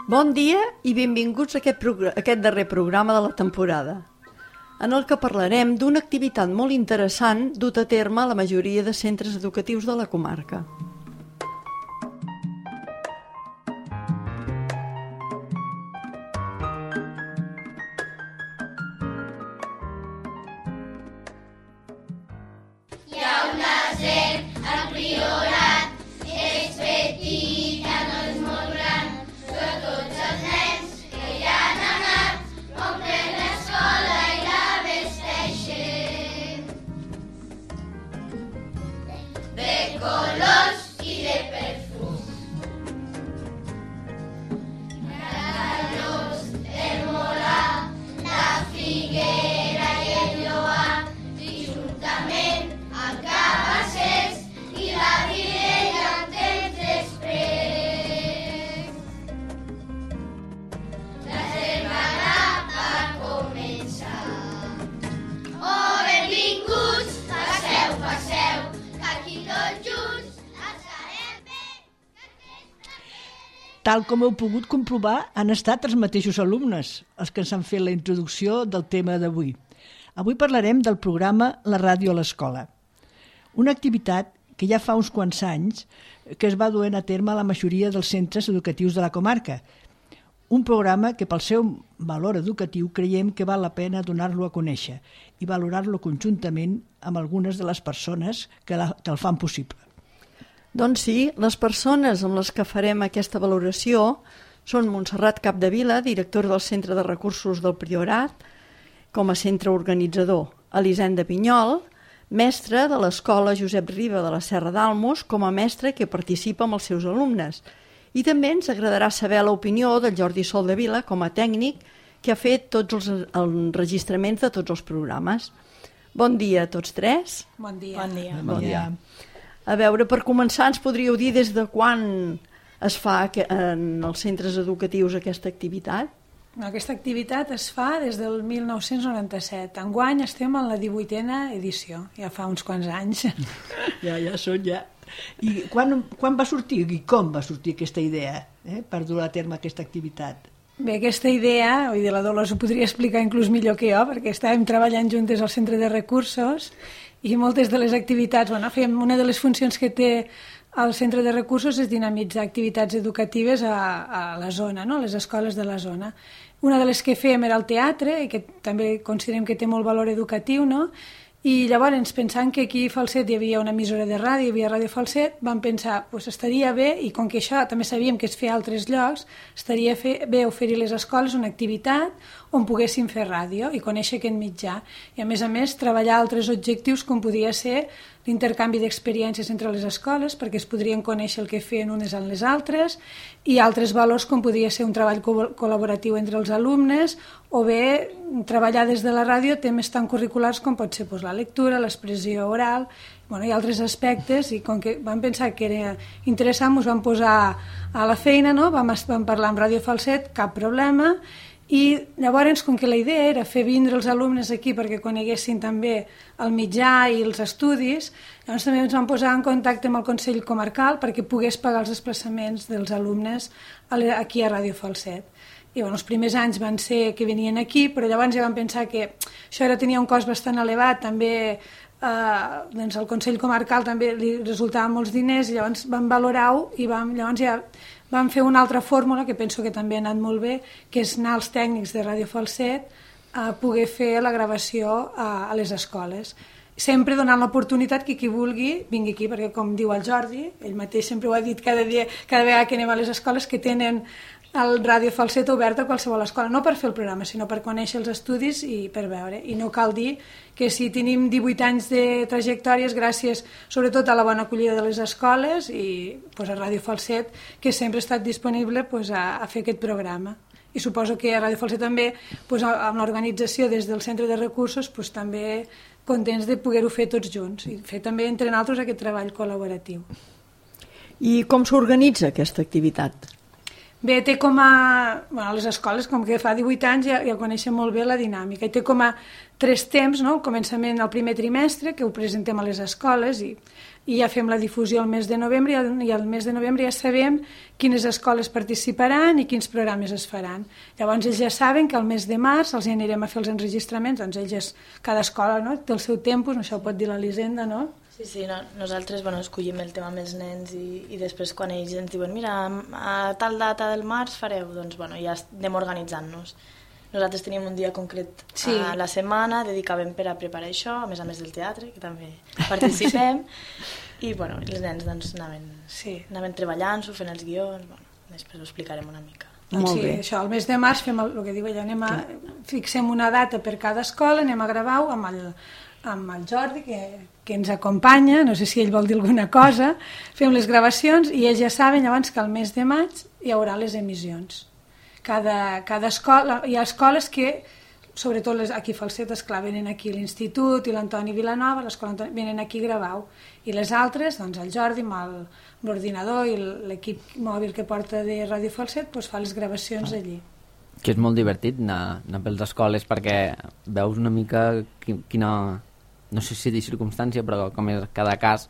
Bon dia i benvinguts a aquest darrer programa de la temporada, en el que parlarem d'una activitat molt interessant dut a terme a la majoria de centres educatius de la comarca. Hi ha una serp al Priorat, és petita, no és molt gran, però tots els nens que hi han anat omplen l'escola i la vesteixen de colors i de perfums. Callos, el molà, la figuera i el lloar, i juntament amb Cabassers i la Virella un temps després. La setmana va començar. Oh, benvinguts, passeu, passeu, que aquí tots junts estarem bé. Tal com heu pogut comprovar, han estat els mateixos alumnes els que ens han fet la introducció del tema d'avui. Avui parlarem del programa La ràdio a l'escola, una activitat que ja fa uns quants anys que es va duent a terme a la majoria dels centres educatius de la comarca. Un programa que pel seu valor educatiu creiem que val la pena donar-lo a conèixer i valorar-lo conjuntament amb algunes de les persones que el fan possible. Doncs sí, les persones amb les que farem aquesta valoració són Montserrat Capdevila, directora del Centre de Recursos del Priorat, com a centre organitzador, Elisenda Pinyol, mestra de l'Escola Josep Riba de la Serra d'Almos, com a mestra que participa amb els seus alumnes. I també ens agradarà saber l'opinió del Jordi Soldevila, com a tècnic, que ha fet tots els enregistraments de tots els programes. Bon dia a tots tres. Bon dia. Bon dia. Bon dia. A veure, per començar, ens podríeu dir des de quan es fa en els centres educatius aquesta activitat? Aquesta activitat es fa des del 1997. Enguany estem en la 18a edició, ja fa uns quants anys. Ja són ja. I quan va sortir i com va sortir aquesta idea per dur a terme aquesta activitat? Bé, aquesta idea, la Dolors ho podria explicar inclús millor que jo, perquè estàvem treballant juntes al Centre de Recursos i moltes de les activitats, una de les funcions que té el Centre de Recursos és dinamitzar activitats educatives a la zona, no? A les escoles de la zona. Una de les que fèiem era el teatre, i que també considerem que té molt valor educatiu, no? I llavors, pensant que aquí a Falset hi havia una emissora de ràdio, hi havia Ràdio Falset, vam pensar, estaria bé, i com que això també sabíem que es feia a altres llocs, estaria bé oferir a les escoles una activitat on poguessin fer ràdio i conèixer aquest mitjà. I a més, treballar altres objectius com podia ser l'intercanvi d'experiències entre les escoles, perquè es podrien conèixer el que feien unes amb les altres, i altres valors com podia ser un treball col·laboratiu entre els alumnes, o bé treballar des de la ràdio temes tan curriculars com pot ser la lectura, l'expressió oral, i altres aspectes, i com que vam pensar que era interessant, ens vam posar a la feina, no? Vam parlar amb Ràdio Falset, cap problema, i llavors, com que la idea era fer vindre els alumnes aquí perquè coneguessin també el mitjà i els estudis, llavors també ens vam posar en contacte amb el Consell Comarcal perquè pogués pagar els desplaçaments dels alumnes aquí a Ràdio Falset. I els primers anys van ser que venien aquí, però llavors ja vam pensar que això tenia un cost bastant elevat, també al Consell Comarcal també li resultaven molts diners, i llavors vam valorar-ho i llavors ja vam fer una altra fórmula que penso que també ha anat molt bé, que és anar als tècnics de Ràdio Falset a poder fer la gravació a les escoles. Sempre donant l'oportunitat que qui vulgui vingui aquí, perquè com diu el Jordi, ell mateix sempre ho ha dit cada vegada que anem a les escoles, que tenen el Ràdio Falset obert a qualsevol escola, no per fer el programa, sinó per conèixer els estudis i per veure. I no cal dir que si tenim 18 anys de trajectòries gràcies sobretot a la bona acollida de les escoles i a Ràdio Falset, que sempre ha estat disponible a fer aquest programa. I suposo que a Ràdio Falset també, amb l'organització des del Centre de Recursos, també contents de poder-ho fer tots junts i fer també entre nosaltres aquest treball col·laboratiu. I com s'organitza aquesta activitat? Bé, té com a... a les escoles, com que fa 18 anys, ja coneixen molt bé la dinàmica, i té com a 3 temps, no? El començament al primer trimestre, que ho presentem a les escoles i ja fem la difusió al mes de novembre i al mes de novembre ja sabem quines escoles participaran i quins programes es faran. Llavors ells ja saben que al mes de març els anirem a fer els enregistraments, doncs ells, cada escola, no? Té el seu tempus, això ho pot dir l'Elisenda, no? Sí, nosaltres escollim el tema amb els nens i després quan ells ens diuen mira, a tal data del març fareu, doncs ja anem organitzant-nos. Nosaltres teníem un dia concret a la setmana, dedicàvem per a preparar això, a més del teatre, que també participem, i els nens anaven treballant-s'ho, fent els guions, després ho explicarem una mica. Molt bé. Això, al mes de març fem el que diu ella, fixem una data per cada escola, anem a gravar-ho amb el Jordi, que ens acompanya, no sé si ell vol dir alguna cosa, fem les gravacions i ells ja saben llavors que al mes de maig hi haurà les emissions. Cada escola, hi ha escoles que, sobretot aquí a Falset, esclar, venen aquí l'Institut i l'Antoni Vilanova, l'escola venen aquí a gravar-ho, i les altres, doncs el Jordi amb l'ordinador i l'equip mòbil que porta de Ràdio Falset fa les gravacions allí. Que és molt divertit anar per les escoles perquè veus una mica quina, no sé si dir circumstància, però com és cada cas,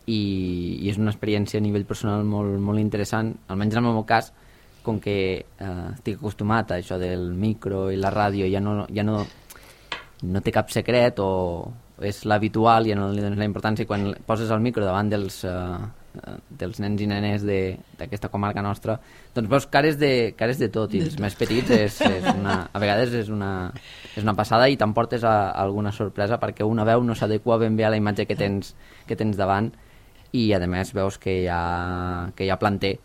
i és una experiència a nivell personal molt interessant, almenys en el meu cas, com que estic acostumat a això del micro i la ràdio, ja no té cap secret o és l'habitual, ja no li dones la importància, i quan poses el micro davant dels nens i nenes d'aquesta comarca nostra, doncs veus cares de tot, i els més petits a vegades és una passada i t'emportes alguna sorpresa perquè una veu no s'adequa ben bé a la imatge que tens davant, i a més veus que hi ha planter,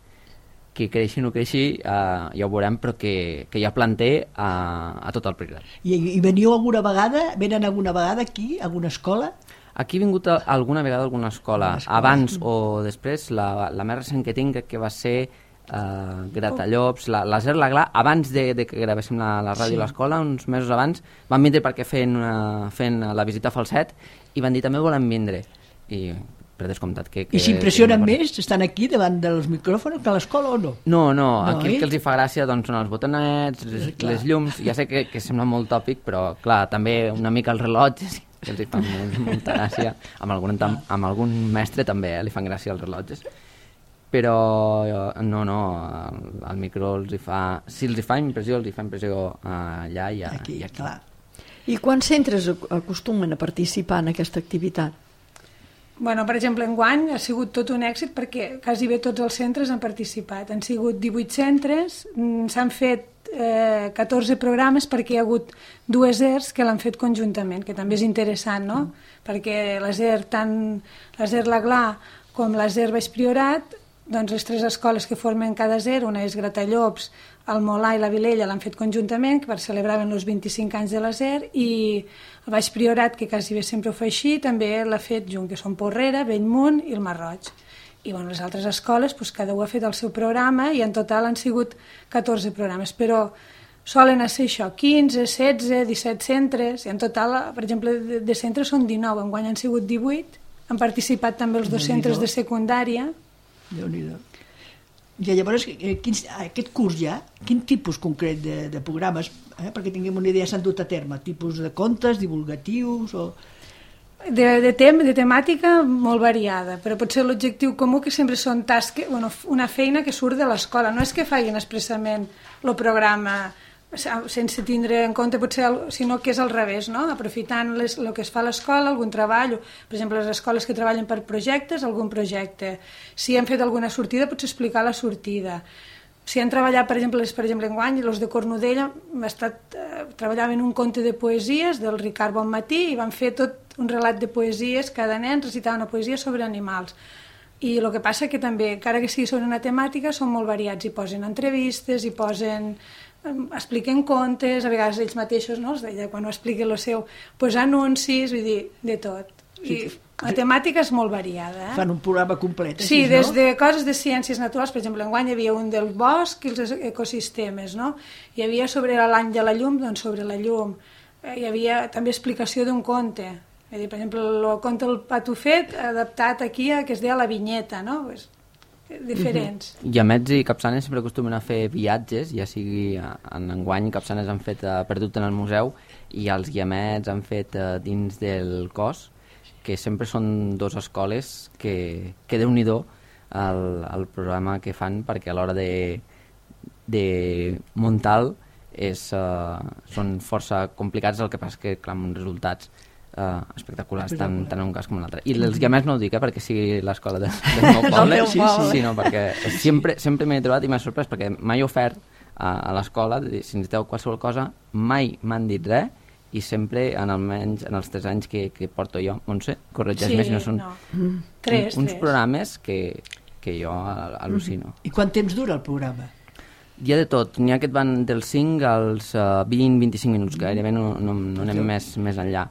que creixi o no creixi, ja ho veurem, però que hi ha planter a tot el Priorat. I veniu alguna vegada aquí, a alguna escola? Aquí he vingut alguna vegada a alguna escola, abans o després. La més recent que tinc que va ser Gratallops, l'Aser Laglà, abans de que gravéssim la ràdio a l'escola, uns mesos abans, van vindre perquè fent la visita a Falset i van dir també volem vindre, i per descomptat que I s'impressionen més estan aquí davant dels micròfons que a l'escola o no? No, aquí el que els hi fa gràcia doncs, són els botonets, les llums, ja sé que sembla molt tòpic, però clar, també una mica els rellotges, que els hi fan molta gràcia, amb algun mestre també li fan gràcia els rellotges, però no, el micro els hi fa, si els hi fa impressió, allà i aquí. Clar. I quants centres acostumen a participar en aquesta activitat? Per exemple, enguany ha sigut tot un èxit perquè quasi bé tots els centres han participat. Han sigut 18 centres, s'han fet 14 programes perquè hi ha hagut 2 ERs que l'han fet conjuntament, que també és interessant, no? Perquè l'ASER Laglà com l'ASER Baix Priorat, doncs les 3 escoles que formen cada ER, una és Gratallops, el Molà i la Vilella l'han fet conjuntament per celebraven els 25 anys de l'ASER, i el Baix Priorat, que quasi bé sempre ho fa així, també l'ha fet junt, que són Porrera, Bellmunt i el Masroig. I les altres escoles, cada un ha fet el seu programa i en total han sigut 14 programes, però solen ser això, 15, 16, 17 centres, i en total, per exemple, de centres són 19, enguany han sigut 18, han participat també els 2 centres de secundària. Déu-n'hi-do. I llavors, aquest curs ja, quin tipus concret de programes, perquè tinguem una idea, s'han dut a terme? Tipus de contes, divulgatius o... De temàtica molt variada, però potser l'objectiu comú que sempre són tasques, una feina que surt de l'escola, no és que facin expressament el programa sense tindre en compte potser, sinó que és al revés, no? Aprofitant el que es fa a l'escola, algun treball, per exemple les escoles que treballen per projectes, algun projecte, si han fet alguna sortida pots explicar la sortida, si han treballat per exemple enguany, els de Cornudella treballaven un conte de poesies del Ricard Bonmatí i van fer tot un relat de poesies, cada nen recitava una poesia sobre animals. I el que passa que també, encara que sigui sobre una temàtica, són molt variats, hi posen entrevistes, expliquen contes, a vegades ells mateixos, no? Quan ho expliquen el seu, anuncis, vull dir, de tot. I la temàtica és molt variada. Fan un programa complet. Sí, des de coses de ciències naturals, per exemple, enguany hi havia un del bosc i els ecosistemes, no? Hi havia sobre l'any de la llum, doncs sobre la llum. Hi havia també explicació d'un conte. Per exemple, el conte del Patufet adaptat aquí que es deia La Vinyeta, no? Diferents. I Ametz i Capçanes sempre acostumen a fer viatges, ja sigui en enguany Capçanes han fet Perdut en el museu, i els guiamets han fet dins del cos, que sempre són dues escoles que Déu-n'hi-do el programa que fan, perquè a l'hora de muntar són força complicats, el que passa que clar, amb uns resultats espectaculars tant en un cas com en l'altre. I els guiamets no ho dic perquè sigui l'escola del meu poble, sinó perquè sempre m'he trobat i m'ha sorprès, perquè mai he ofert a l'escola, si necessiteu qualsevol cosa, mai m'han dit res, i sempre, almenys en els 3 anys que porto jo, Montse, corregeix-me si no són uns programes que jo al·lucino. I quant temps dura el programa? Hi ha de tot, n'hi ha que et van dels 5 als 20-25 minuts, gairebé no anem més enllà.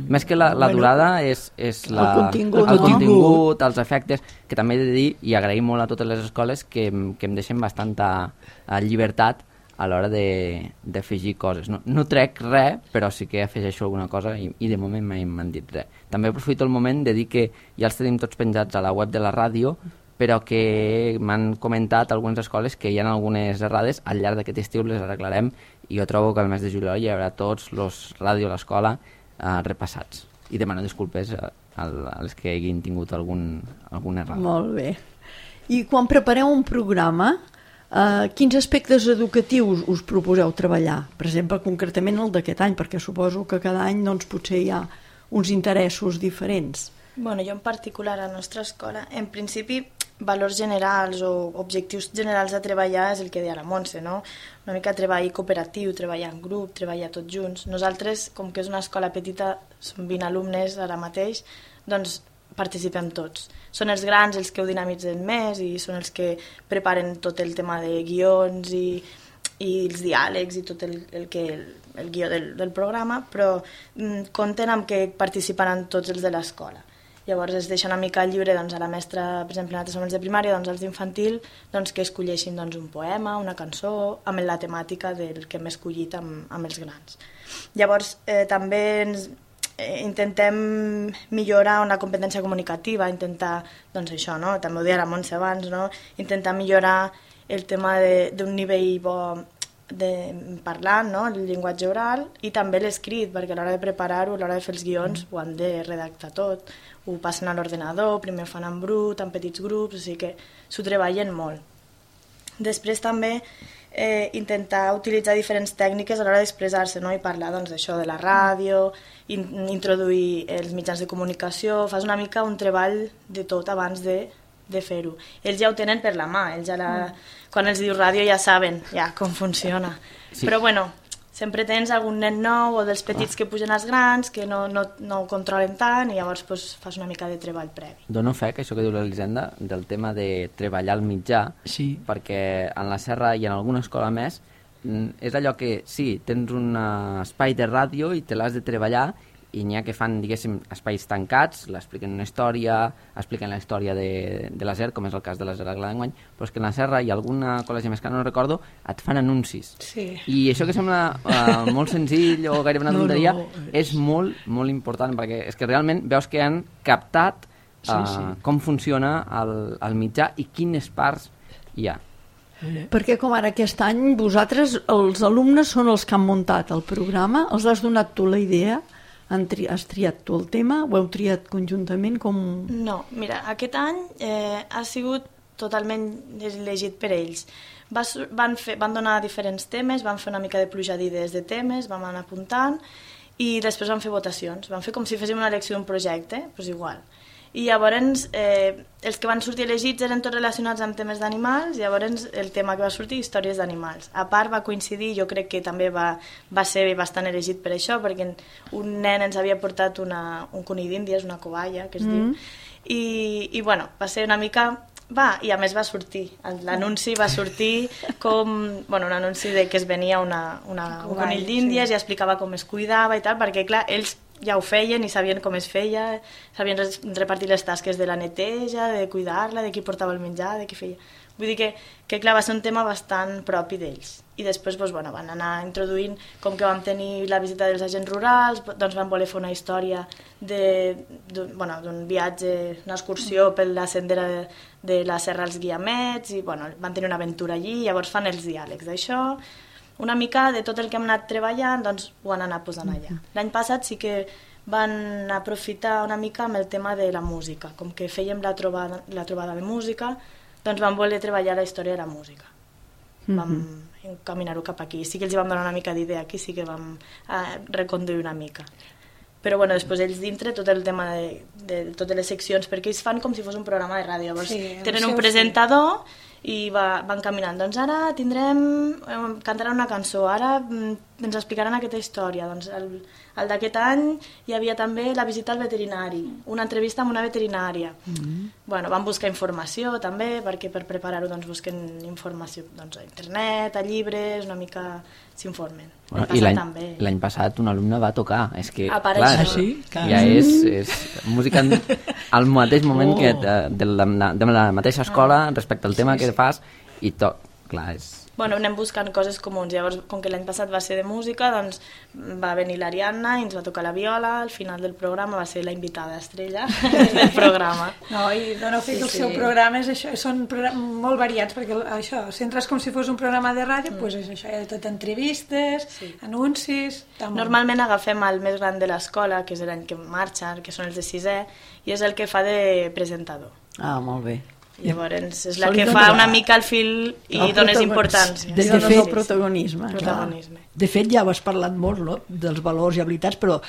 Més que la durada és el contingut, els efectes, que també he de dir, i agraïm molt a totes les escoles que em deixen bastanta llibertat a l'hora d'afegir coses. No trec res, però sí que afegeixo alguna cosa i de moment mai m'han dit res. També aprofito el moment de dir que ja els tenim tots penjats a la web de la ràdio, però que m'han comentat algunes escoles que hi ha algunes errades, al llarg d'aquest estiu les arreglarem, i jo trobo que al mes de juliol hi haurà tots els ràdio a l'escola repassats. I demano disculpes a les que hagin tingut alguna errada. Molt bé. I quan prepareu un programa, quins aspectes educatius us proposeu treballar? Per exemple, concretament el d'aquest any, perquè suposo que cada any doncs, potser hi ha uns interessos diferents. Bueno, jo en particular a la nostra escola, en principi, valors generals o objectius generals a treballar és el que deia la Montse, no? Una mica treball cooperatiu, treballar en grup, treballar tots junts. Nosaltres, com que és una escola petita, som 20 alumnes ara mateix, doncs participem tots. Són els grans els que ho dinamitzen més i són els que preparen tot el tema de guions i els diàlegs i tot el guió del programa, però compten amb que participaran tots els de l'escola. Llavors es deixa una mica lliure doncs, a la mestra, per exemple, nosaltres som els de primària, doncs els d'infantil, doncs, que escolleixin doncs, un poema, una cançó, amb la temàtica del que hem escollit amb els grans. Llavors també intentem millorar una competència comunicativa, intentar, doncs això, no? També ho deia la Montse abans, no? Intentar millorar el tema d'un nivell bo de parlant, no? El llenguatge oral, i també l'escrit, perquè a l'hora de preparar-ho, a l'hora de fer els guions, ho han de redactar tot, ho passen a l'ordenador, primer ho fan en brut, en petits grups, o sigui que s'ho treballen molt. Després també intentar utilitzar diferents tècniques a l'hora d'expressar-se, no? I parlar doncs, d'això de la ràdio, introduir els mitjans de comunicació, fas una mica un treball de tot abans de fer-ho. Ells ja ho tenen per la mà, ells quan els diu ràdio ja saben com funciona. Sí. Però bueno, sempre tens algun nen nou o dels petits que pugen als grans que no ho controlen tant i llavors pues, fas una mica de treball previ. Dono fe que això que diu l'Elisenda del tema de treballar al mitjà, sí. Perquè en la Serra i en alguna escola més és allò que sí, tens un espai de ràdio i te l'has de treballar i n'hi ha que fan, diguéssim, espais tancats, l'expliquen una història, expliquen la història de la SER, com és el cas de la SER d'enguany, però és que en la Serra i alguna col·legi més que no recordo, et fan anuncis. Sí. I això que sembla molt senzill o gairebé una tonteria, és molt, molt important, perquè és que realment veus que han captat com funciona el mitjà i quines parts hi ha. Perquè com ara aquest any vosaltres, els alumnes són els que han muntat el programa, els has donat tu la idea? Has triat tu el tema? Ho heu triat conjuntament? No, mira, aquest any ha sigut totalment elegit per ells. Van donar diferents temes, van fer una mica de pluja d'idees de temes, vam anar apuntant i després van fer votacions. Van fer com si féssim una elecció d'un projecte, doncs igual. I llavors els que van sortir elegits eren tots relacionats amb temes d'animals, llavors el tema que va sortir, històries d'animals. A part va coincidir, jo crec que també va ser bastant elegit per això, perquè un nen ens havia portat un conill d'Índies, una cobaya, que es diu, i bueno, va ser una mica... i a més va sortir, l'anunci va sortir com un anunci de que es venia un conill d'Índies i explicava com es cuidava i tal, perquè clar, ells ja ho feien i sabien com es feia, sabien repartir les tasques de la neteja, de cuidar-la, de qui portava el menjar, de qui feia... Vull dir que clar, va ser un tema bastant propi d'ells. I després van anar introduint, com que vam tenir la visita dels agents rurals, doncs van voler fer una història d'un viatge, una excursió per la sendera de la Serra als Guiamets, i van tenir una aventura allí, llavors fan els diàlegs d'això. una mica de tot el que hem anat treballant, doncs ho han anat posant allà. L'any passat sí que van aprofitar una mica amb el tema de la música, com que fèiem la trobada de música, doncs vam voler treballar la història de la música. Vam encaminar-ho cap aquí. Sí que els vam donar una mica d'idea aquí, sí que vam reconduir una mica. Però bueno, després ells dintre tot el tema de totes les seccions, perquè ells fan com si fos un programa de ràdio. Llavors tenen un presentador i van caminant. Doncs ara cantaran una cançó, ara ens explicaran aquesta història. Doncs el d'aquest any hi havia també la visita al veterinari, una entrevista amb una veterinària. Bueno, van buscar informació també, perquè per preparar-ho doncs, busquen informació doncs, a internet, a llibres, una mica s'informen. Bueno, i l'any passat un alumne va tocar. És que, clar, sí? Ja és música al mateix moment que de la mateixa escola respecte al tema que fas i clar, és... Bueno, anem buscant coses comuns. Llavors, com que l'any passat va ser de música, doncs va venir l'Ariadna i ens va tocar la viola. Al final del programa va ser la invitada estrella del programa. No, i doneu fe que el seu programa és això, són molt variats, perquè això, si entres com si fos un programa de ràdio, doncs és això, hi ha tot entrevistes, anuncis... Normalment agafem el més gran de l'escola, que és l'any que marxa, que són els de 6è, i és el que fa de presentador. Ah, molt bé. Llavors és la que fa una mica el fil i dones importància. De fet, el protagonisme. De fet, ja ho has parlat molt, no?, dels valors i habilitats, però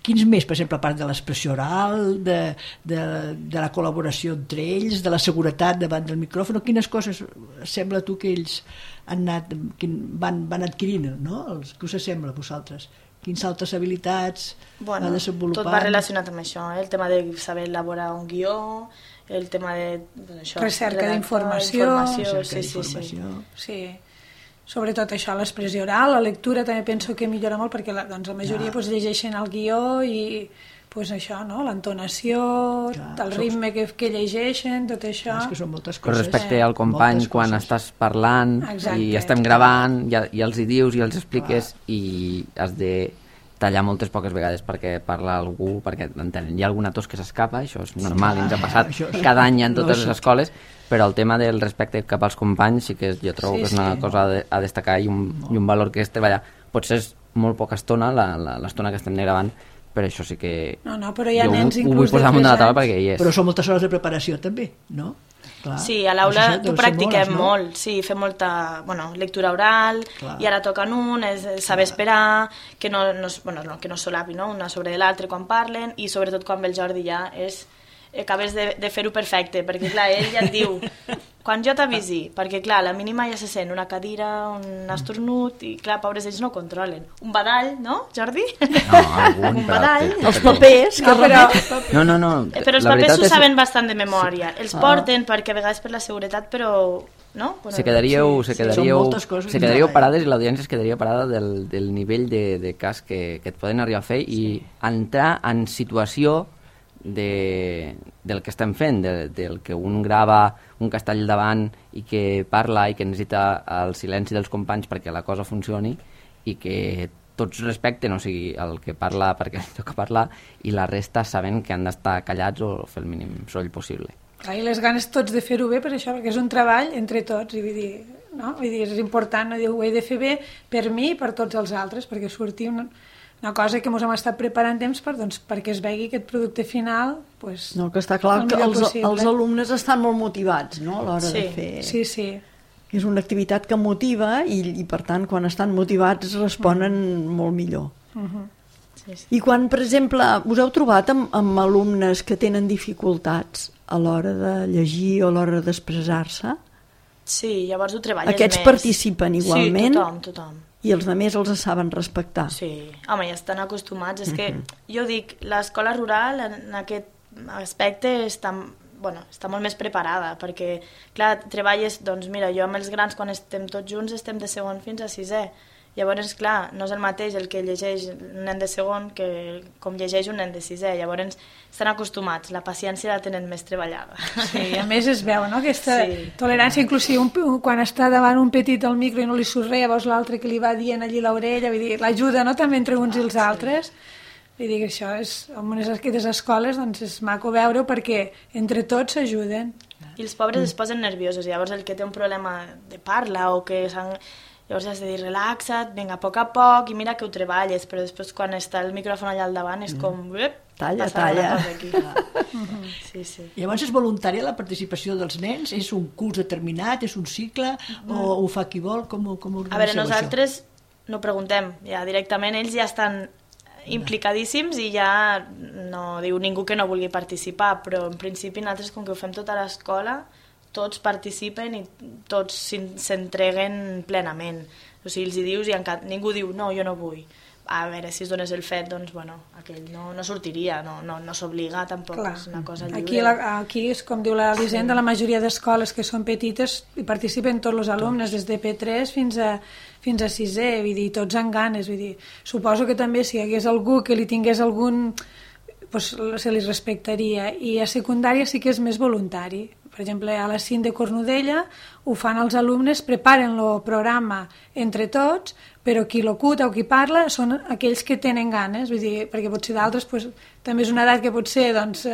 quins més, per exemple, a part de l'expressió oral, de la col·laboració entre ells, de la seguretat davant del micròfon, quines coses sembla tu que ells van adquirint, no? Que us sembla a vosaltres? Quines altres habilitats van desenvolupant? Tot va relacionat amb això, el tema de saber elaborar un guió, el tema de recerca d'informació. Sí. Sobretot això, l'expressió oral, la lectura també penso que millora molt perquè la majoria llegeixen el guió i això, l'entonació, el ritme que llegeixen, tot això. És que són moltes coses. Respecte al company quan estàs parlant i estem gravant, ja els hi dius i els expliques i has de tallar moltes poques vegades perquè parla algú, perquè entenen. Hi ha alguna tos que s'escapa, això és normal, ens ha passat cada any en totes les escoles, però el tema del respecte cap als companys sí que jo trobo que és una cosa a destacar i un valor que és treballar. Potser és molt poca estona, l'estona que estem gravant, però això sí que però hi ha nens ho vull posar damunt de la taula perquè hi és. Però són moltes hores de preparació també, no? Clar. Sí, a l'aula ho practiquem molt, sí, fem molta lectura oral, i ara toquen és saber esperar, que no solapi una sobre l'altre quan parlen, i sobretot quan ve el Jordi ja acabes de fer-ho perfecte, perquè clar, ell ja et diu quan jo t'avisi, perquè clar, a la mínima ja se sent una cadira, un esternut, i clar, pobres ells no controlen. Un badall, no, Jordi? No, algun, un badall. Els papers, No. Però els papers s'ho saben bastant de memòria. Els porten perquè a vegades per la seguretat, però... No? Se quedaríeu parades i l'audiència es quedaria parada del nivell de cas que et poden arribar a fer i entrar en situació del que estem fent, del que un grava un castell davant i que parla i que necessita el silenci dels companys perquè la cosa funcioni i que tots respecten, o sigui, el que parla perquè li toca parlar i la resta sabent que han d'estar callats o fer el mínim soroll possible. I les ganes tots de fer-ho bé per això, perquè és un treball entre tots i vull dir, és important, ho he de fer bé per mi i per tots els altres, perquè surti una cosa que ens hem estat preparant temps perquè es vegi aquest producte final que està clar que els alumnes estan molt motivats a l'hora de fer. Sí. És una activitat que motiva i per tant quan estan motivats responen molt millor. I quan, per exemple, us heu trobat amb alumnes que tenen dificultats a l'hora de llegir o a l'hora d'expressar-se? Sí, llavors ho treballes més. Aquests participen igualment? Sí, tothom. I els altres els saben respectar? Sí, home, ja estan acostumats. És que jo dic, l'escola rural en aquest aspecte està molt més preparada, perquè, clar, treballes, doncs mira, jo amb els grans quan estem tots junts estem de segon fins a 6è. Llavors, clar, no és el mateix el que llegeix un nen de segon que com llegeix un nen de 6è. Llavors, estan acostumats, la paciència la tenen més treballada. Sí, i a més es veu, no?, aquesta tolerància, inclusive quan està davant un petit al micro i no li surt res, llavors l'altre que li va dient allí l'orella, vull dir, l'ajuda, no?, també entre uns i els altres. Vull dir que això és, en aquestes escoles, doncs és maco veure-ho perquè entre tots s'ajuden. I els pobres es posen nerviosos, llavors el que té un problema de parla o que Llavors has de dir, relaxa't, vinga, a poc, i mira que ho treballes, però després quan està el micròfon allà al davant és com... Talla. Aquí. Sí. Llavors és voluntària la participació dels nens? És un curs determinat? És un cicle? O ho fa qui vol? Com organitzeu a veure, nosaltres no preguntem, ja directament ells ja estan implicadíssims i ja no diu ningú que no vulgui participar, però en principi nosaltres com que ho fem tota l'escola tots participen i tots s'entreguen plenament. O sigui, els hi dius i ningú diu no, jo no vull. A veure, si es donés el fet, doncs, bueno, aquell no sortiria, no s'obliga tampoc, clar. És una cosa lliure. Aquí és com diu l'Elisenda, la majoria d'escoles que són petites hi participen tots els alumnes, des de P3 fins a 6è, vull dir, tots amb ganes, vull dir, suposo que també si hi hagués algú que li tingués algun, doncs se li respectaria, i a secundària sí que és més voluntari. Per exemple, a la CIN de Cornudella ho fan els alumnes, preparen el programa entre tots, però qui locuta o qui parla són aquells que tenen ganes, vull dir, perquè potser d'altres pues, també és una edat que potser doncs,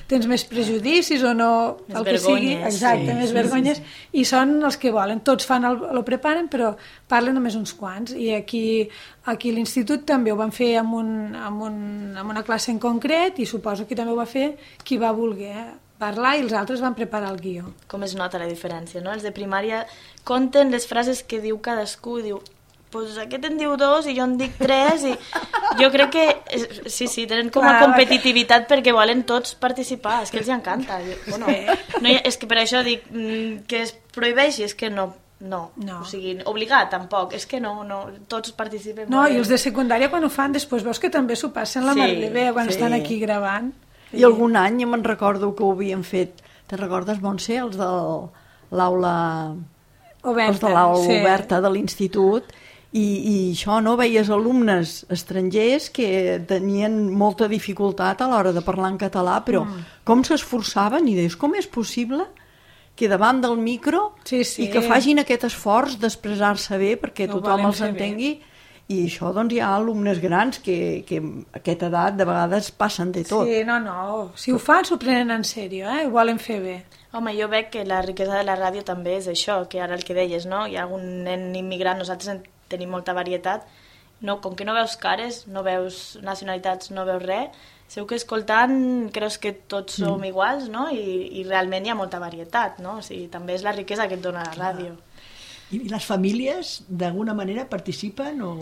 tens més prejudicis o no, més el que sigui, exacte, més vergonyes, i són els que volen, tots fan lo preparen, però parlen només uns quants, i aquí a l'institut també ho van fer amb una classe en concret, i suposo que també ho va fer qui va voler parlar i els altres van preparar el guió. Com es nota la diferència, no? Els de primària compten les frases que diu cadascú, diu, pues aquest en diu 2 i jo en dic 3, i jo crec que sí, tenen com a competitivitat perquè volen tots participar, és que els encanta. Bueno, no, és que per això dic que es prohibeixi, és que no, o sigui, obligat tampoc, és que no, tots participen. No, i els de secundària quan ho fan després veus que també s'ho passen la mar de bé quan estan aquí gravant. I algun any me'n recordo que ho havien fet, te'n recordes, Montse, els de l'aula oberta de l'institut, i això, no? Veies alumnes estrangers que tenien molta dificultat a l'hora de parlar en català, però com s'esforçaven i deies, com és possible que davant del micro i que facin aquest esforç d'expressar-se bé perquè tothom els entengui. I això, doncs, hi ha alumnes grans que a aquesta edat de vegades passen de tot. Sí, no. Si ho fan, s'ho prenen en sèrio, ho volen fer bé. Home, jo veig que la riquesa de la ràdio també és això, que ara el que deies, no? Hi ha algun nen immigrant, nosaltres tenim molta varietat, no, com que no veus cares, no veus nacionalitats, no veus res, segur que escoltant creus que tots som iguals, no? I realment hi ha molta varietat, no? O sigui, també és la riquesa que et dona la ràdio. I les famílies, d'alguna manera, participen o...?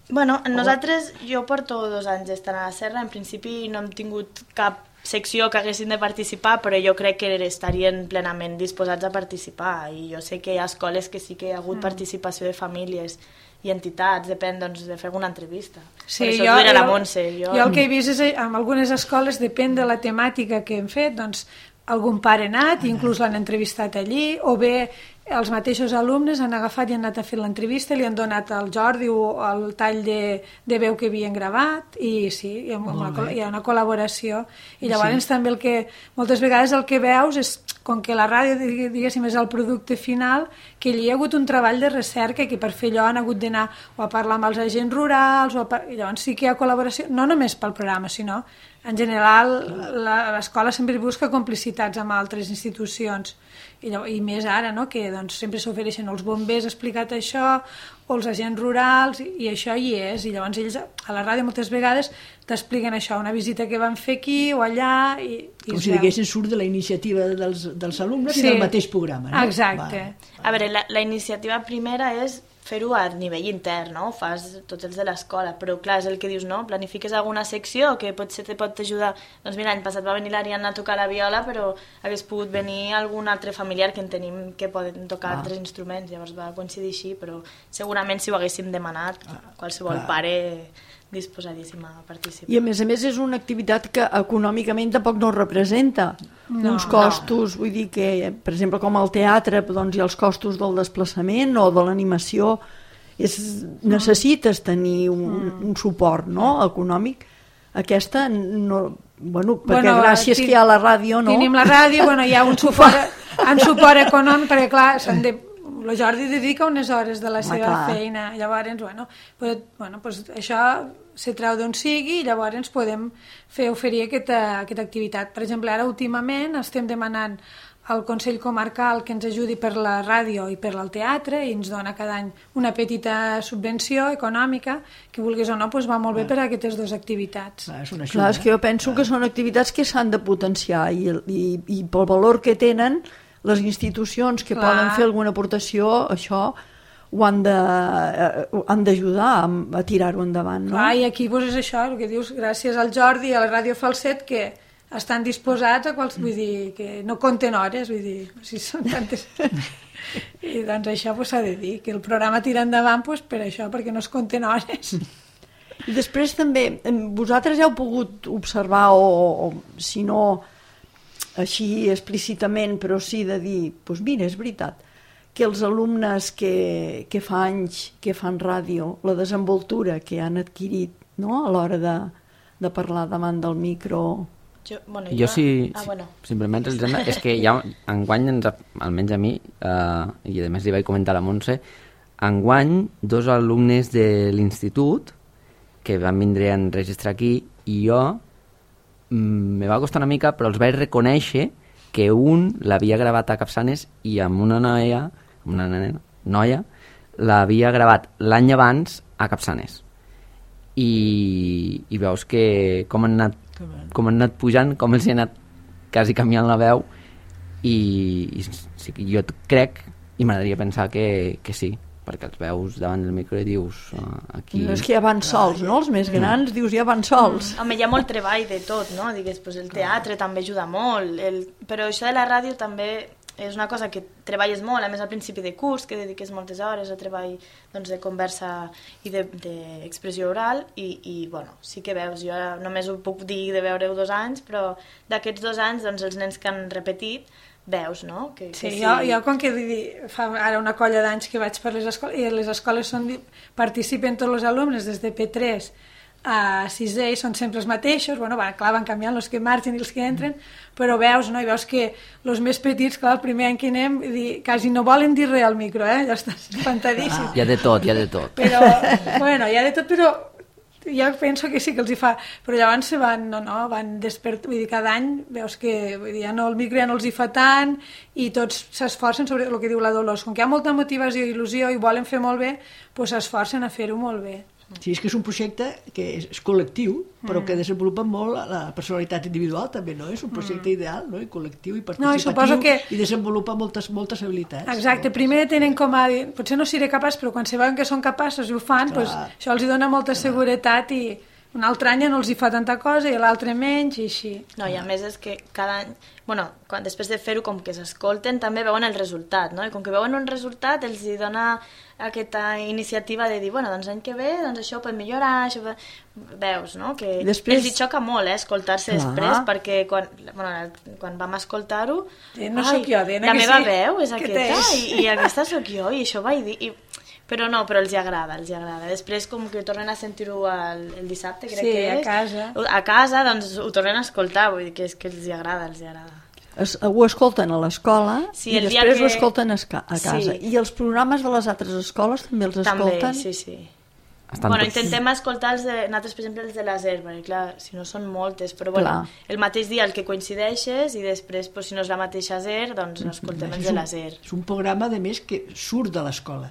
Bueno, nosaltres, jo porto 2 anys estant a la Serra, en principi no hem tingut cap secció que haguessin de participar, però jo crec que estarien plenament disposats a participar, i jo sé que hi ha escoles que sí que hi ha hagut participació de famílies i entitats, depèn doncs, de fer alguna entrevista. Sí, per això jo la Montse. Jo el que he vist és en algunes escoles, depèn de la temàtica que hem fet, doncs algun pare ha anat, inclús l'han entrevistat allí, o bé els mateixos alumnes han agafat i han anat a fer l'entrevista, li han donat al Jordi o el tall de veu que havien gravat, i sí, hi ha una col·laboració, i llavors també el que moltes vegades el que veus és, com que la ràdio, diguéssim, és el producte final, que hi ha hagut un treball de recerca que per fer allò han hagut d'anar o a parlar amb els agents rurals, i llavors sí que hi ha col·laboració, no només pel programa, sinó en general l'escola sempre busca complicitats amb altres institucions, i més ara, no? Que doncs, sempre s'ofereixen els bombers explicat això, o els agents rurals, i això hi és, i llavors ells a la ràdio moltes vegades t'expliquen això, una visita que van fer aquí o allà, com si diguessin surt de la iniciativa dels alumnes i del mateix programa, no? Exacte. A veure, la iniciativa primera és fer-ho a nivell intern, no? Ho fas tots els de l'escola, però clar, és el que dius, no? Planifiques alguna secció que potser te pot ajudar. Doncs mira, l'any passat va venir l'Ariadna a tocar la viola, però hagués pogut venir algun altre familiar que en tenim que poden tocar altres instruments, llavors va coincidir així, però segurament si ho haguéssim demanat, qualsevol pare disposadíssim a participar. I a més és una activitat que econòmicament tampoc no representa uns costos, vull dir que, per exemple, com el teatre, doncs hi ha els costos del desplaçament o de l'animació, necessites tenir un suport, no?, econòmic. Aquesta, no, perquè gràcies que hi ha la ràdio, no? Tenim la ràdio, hi ha un suport econòmic, perquè clar, el Jordi dedica unes hores de la seva feina, llavors, pues això se treu d'on sigui i llavors podem oferir aquesta activitat. Per exemple, ara últimament estem demanant al Consell Comarcal que ens ajudi per la ràdio i per al teatre i ens dona cada any una petita subvenció econòmica que vulguis o no va molt bé per a aquestes dues activitats. Clar, és que jo penso que són activitats que s'han de potenciar i pel valor que tenen les institucions que poden fer alguna aportació, això ho han d'ajudar a tirar-ho endavant, no? Clar, i aquí és això, el que dius, gràcies al Jordi i a la Ràdio Falset, que estan disposats a vull dir, que no compten hores, vull dir, si són tantes... I doncs això s'ha de dir, que el programa tira endavant per això, perquè no es compten hores. I després també, vosaltres heu pogut observar, o si no així explícitament, però sí de dir, doncs mira, és veritat, que els alumnes que fa anys que fan ràdio, la desenvoltura que han adquirit, no?, a l'hora de parlar davant del micro... Jo sí, simplement és que ja enguany, almenys a mi, i a més li vaig comentar a la Montse, enguany 2 alumnes de l'institut que van vindre a enregistrar aquí i jo me va costar una mica, però els vaig reconèixer que un l'havia gravat a Capçanes i amb una noia l'havia gravat l'any abans a Capçanes i veus que com han anat pujant, com els hi ha anat quasi canviant la veu i sí, jo crec i m'agradaria pensar que sí, perquè els veus davant del micro i dius aquí... No, és que ja van sols, no? Els més grans dius ja van sols. Home, hi ha molt treball de tot, no? Digues, el teatre també ajuda molt, però això de la ràdio també és una cosa que treballes molt, a més al principi de curs, que dediques moltes hores a treball de conversa i d'expressió oral i bueno, sí que veus, jo només ho puc dir de veure-ho 2 anys, però d'aquests 2 anys els nens que han repetit veus, no? Sí, jo com que fa ara una colla d'anys que vaig per les escoles i les escoles participen tots els alumnes des de P3 a 6è i són sempre els mateixos, bueno, clar, van canviant els que marxen i els que entren, però veus, no? I veus que els més petits, clar, el primer any que anem, quasi no volen dir res al micro, ja estàs espantadíssim. Hi ha de tot. Però, bueno, hi ha de tot, però jo penso que sí que els hi fa, però llavors van despertar, vull dir, cada any veus que el micro ja no els hi fa tant i tots s'esforcen sobre el que diu la Dolors, com que hi ha molta motivació i il·lusió i volen fer molt bé, doncs s'esforcen a fer-ho molt bé. Sí, és que és un projecte que és col·lectiu, però que desenvolupa molt la personalitat individual també, no? És un projecte ideal, no? I col·lectiu i participatiu i desenvolupa moltes habilitats. Exacte, primer tenen com a dir, potser no seré capaç, però quan se veuen que són capaços i ho fan, doncs això els dona molta seguretat i un altre any no els hi fa tanta cosa i l'altre menys i així. No, i a més és que cada any, després de fer-ho com que s'escolten també veuen el resultat, no? I com que veuen un resultat els hi dona aquesta iniciativa de dir, doncs l'any que ve això pot millorar, això veus, no? Que després... els hi xoca molt, escoltar-se després, perquè quan vam escoltar-ho, no sóc jo, la meva veu és aquesta i aquesta sóc jo i això vaig dir... Però els hi agrada. Després, com que tornen a sentir-ho el dissabte, crec que és... Sí, a casa, doncs ho tornen a escoltar, vull dir que és que els hi agrada. Ho escolten a l'escola i després ho escolten a casa. Sí. I els programes de les altres escoles també els escolten? També, sí. Intentem escoltar nosaltres, per exemple, els de la SER, perquè clar, si no són moltes, però el mateix dia el que coincideixes i després, si no és la mateixa SER, doncs escoltem els de la SER. És un programa, a més, que surt de l'escola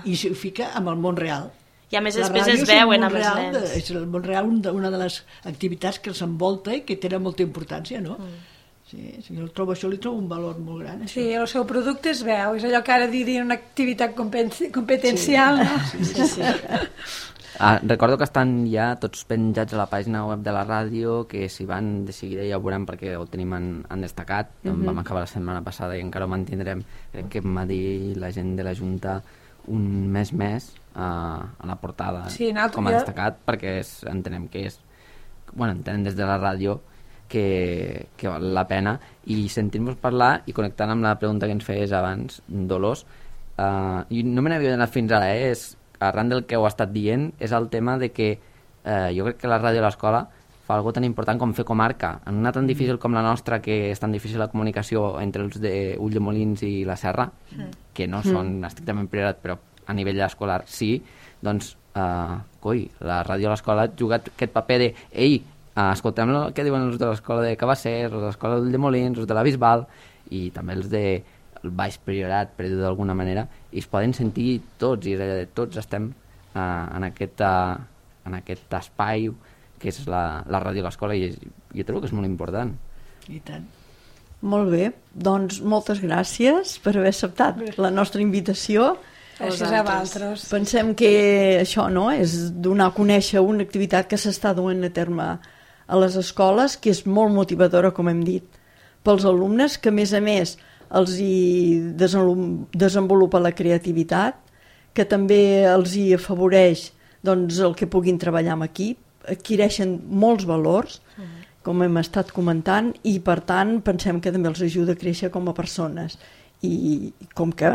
i s'hi fica amb el món real. I a més després es veuen amb els nens. És el món real una de les activitats que els envolta i que tenen molta importància, no? Sí, jo això li trobo un valor molt gran. Això. Sí, el seu producte es veu, és allò que ara diria una activitat competencial, no? Sí. Recordo que estan ja tots penjats a la pàgina web de la ràdio, que si van de seguida ja ho veurem perquè ho tenim en destacat. Vam acabar la setmana passada i encara ho mantindrem. Crec que m'ha dit la gent de la Junta un mes més a la portada com a destacat, perquè entenem que és... entenem des de la ràdio que val la pena, i sentir-nos parlar i connectant amb la pregunta que ens feies abans, Dolors, i no me n'havia donat fins ara, és arran del que heu estat dient, és el tema de que jo crec que la ràdio a l'escola fa algo tan important com fer comarca, en una tan difícil com la nostra, que és tan difícil la comunicació entre els de Ulldemolins i la Serra, que no són estrictament priorat, però a nivell escolar sí, doncs la ràdio a l'escola ha jugat aquest paper de escoltem el que diuen els de l'escola de Cabassers, els de l'escola de Molins, els de la Bisbal i també els de el Baix Priorat, per dir-ho d'alguna manera, i es poden sentir tots, i tots estem en aquest espai que és la ràdio a l'escola, i jo trobo que és molt important. I tant. Molt bé, doncs moltes gràcies per haver acceptat la nostra invitació. Gràcies a vosaltres. Pensem que això, no?, és donar a conèixer una activitat que s'està duent a terme a les escoles, que és molt motivadora, com hem dit, pels alumnes, que a més els hi desenvolupa la creativitat, que també els hi afavoreix doncs, el que puguin treballar en equip, adquireixen molts valors, com hem estat comentant, i per tant pensem que també els ajuda a créixer com a persones. I com que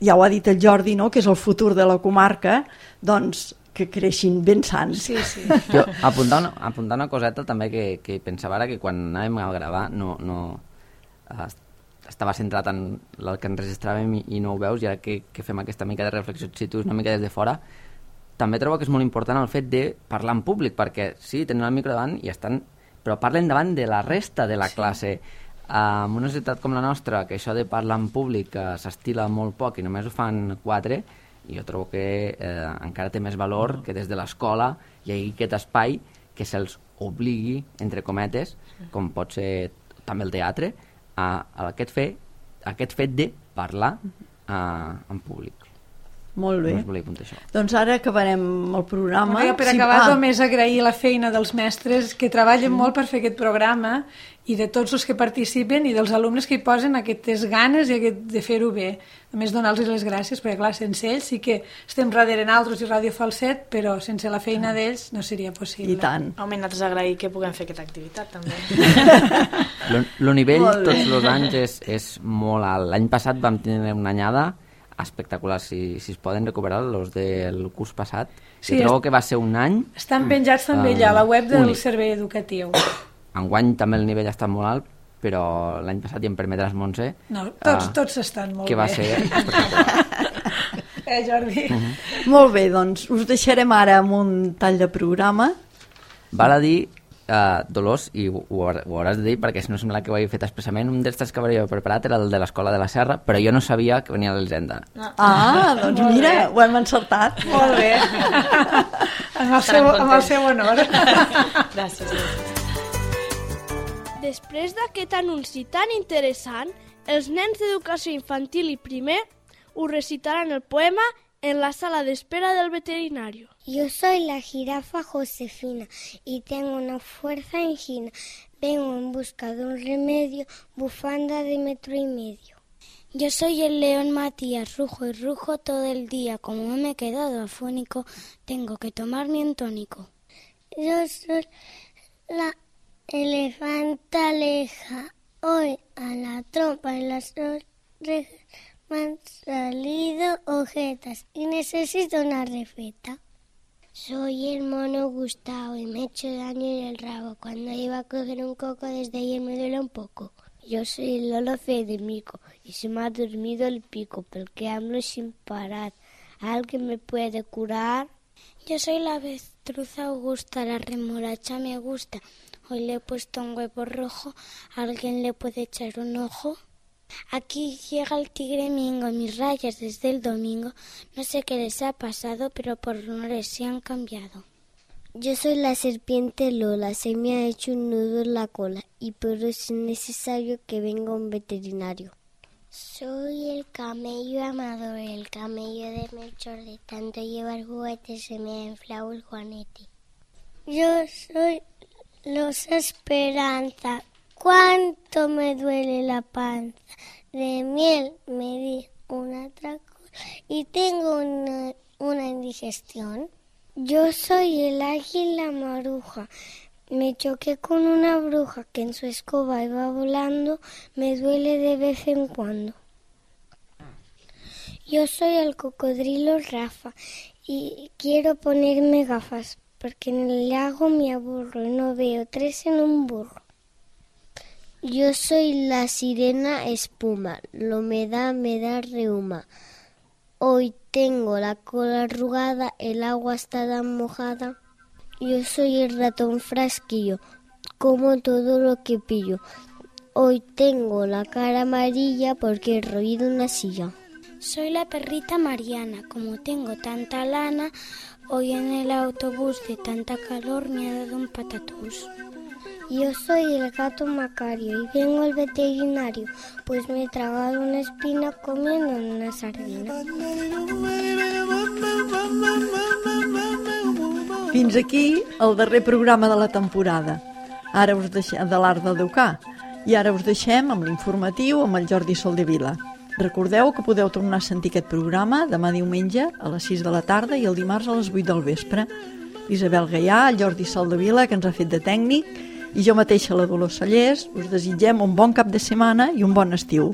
ja ho ha dit el Jordi, no?, que és el futur de la comarca, doncs que creixin ben sants. Sí, sí. Jo apuntar una coseta també que pensava ara, que quan anàvem a gravar estava centrat en el que enregistràvem i no ho veus, i ara que fem aquesta mica de reflexió situ una mica des de fora, també trobo que és molt important el fet de parlar en públic, perquè sí, tenen el micro davant i estan, però parlen davant de la resta de la classe. En una societat com la nostra, que això de parlar en públic s'estila molt poc i només ho fan 4, i jo trobo que encara té més valor que des de l'escola hi hagi aquest espai que se'ls obligui, entre cometes, com pot ser també el teatre, a aquest fet de parlar en públic. Molt bé. No us volia apuntar això. Doncs ara acabarem el programa. Per acabar, només agrair la feina dels mestres que treballen molt per fer aquest programa, i de tots els que participen i dels alumnes que hi posen aquestes ganes i de fer-ho bé. A més, donar-los les gràcies, perquè clar, sense ells sí que estem darrere nosaltres i Ràdio Falset, però sense la feina d'ells no seria possible. I tant. Home, nosaltres agrair que puguem fer aquesta activitat, també. El nivell tots els anys és molt alt. L'any passat vam tenir una anyada espectacular, si es poden recuperar els del curs passat. Sí, trobo que va ser un any... Estan penjats també allà a la web del Servei Educatiu. Enguany també el nivell ha estat molt alt, però l'any passat, i em permetràs, Montse... No, tots estan molt bé. Que va ser espectacular. Jordi? Molt bé, doncs us deixarem ara amb un tall de programa. Val a dir, Dolors, i ho hauràs de dir perquè si no sembla que ho hagi fet expressament, un dels tres que hauria preparat era el de l'Escola de la Serra, però jo no sabia que venia de l'Hisenda. Doncs mira, ho hem encertat. Molt bé. Amb el seu honor. Gràcies. Després d'aquest anunci tan interessant, els nens d'educació infantil i primer us recitaran el poema en la sala de espera del veterinario. Yo soy la jirafa Josefina y tengo una fuerza angina. Vengo en busca de un remedio, bufanda de 1,5 metros. Yo soy el león Matías, rujo y rujo todo el día. Como me he quedado afónico, tengo que tomarme un tónico. Yo soy la elefanta Aleja. Hoy a la trompa y las orejas me han salido ojetas y necesito una receta. Soy el mono Gustavo y me he hecho daño en el rabo. Cuando iba a coger un coco desde ayer me duele un poco. Yo soy el Lolo Federico y se me ha dormido el pico porque hablo sin parar. ¿Alguien me puede curar? Yo soy la avestruz Augusta, la remolacha me gusta. Hoy le he puesto un huevo rojo, ¿alguien le puede echar un ojo? Aquí llega el tigre Mingo, mis rayas desde el domingo. No sé qué les ha pasado, pero por honores se han cambiado. Yo soy la serpiente Lola, se me ha hecho un nudo en la cola y por eso es necesario que venga un veterinario. Soy el camello Amador, el camello de Melchor, de tanto llevar juguetes se me ha inflado el juanete. Yo soy Losa Esperanza, cuánto me duele la panza, de miel me di una atracón y tengo una indigestión. Yo soy el águila maruja, me choqué con una bruja que en su escoba iba volando, me duele de vez en cuando. Yo soy el cocodrilo Rafa y quiero ponerme gafas porque en el lago me aburro y no veo 3 en un burro. Yo soy la sirena Espuma, la humedad me da reuma. Hoy tengo la cola arrugada, el agua está tan mojada. Yo soy el ratón Frasquillo, como todo lo que pillo. Hoy tengo la cara amarilla porque he roído una silla. Soy la perrita Mariana. Como tengo tanta lana, hoy en el autobús de tanta calor me ha dado un patatús. Yo soy el gato Macario y vengo al veterinario, pues me he tragado una espina comiendo una sardina. Fins aquí el darrer programa de la temporada. Ara us deixem de l'Art d'Educar. I ara us deixem amb l'informatiu amb el Jordi Soldevila. Recordeu que podeu tornar a sentir aquest programa demà diumenge a les 6 de la tarda i el dimarts a les 8 del vespre. Isabel Gaià, el Jordi Soldevila, que ens ha fet de tècnic, i jo mateixa, la Dolors Sallés, us desitgem un bon cap de setmana i un bon estiu.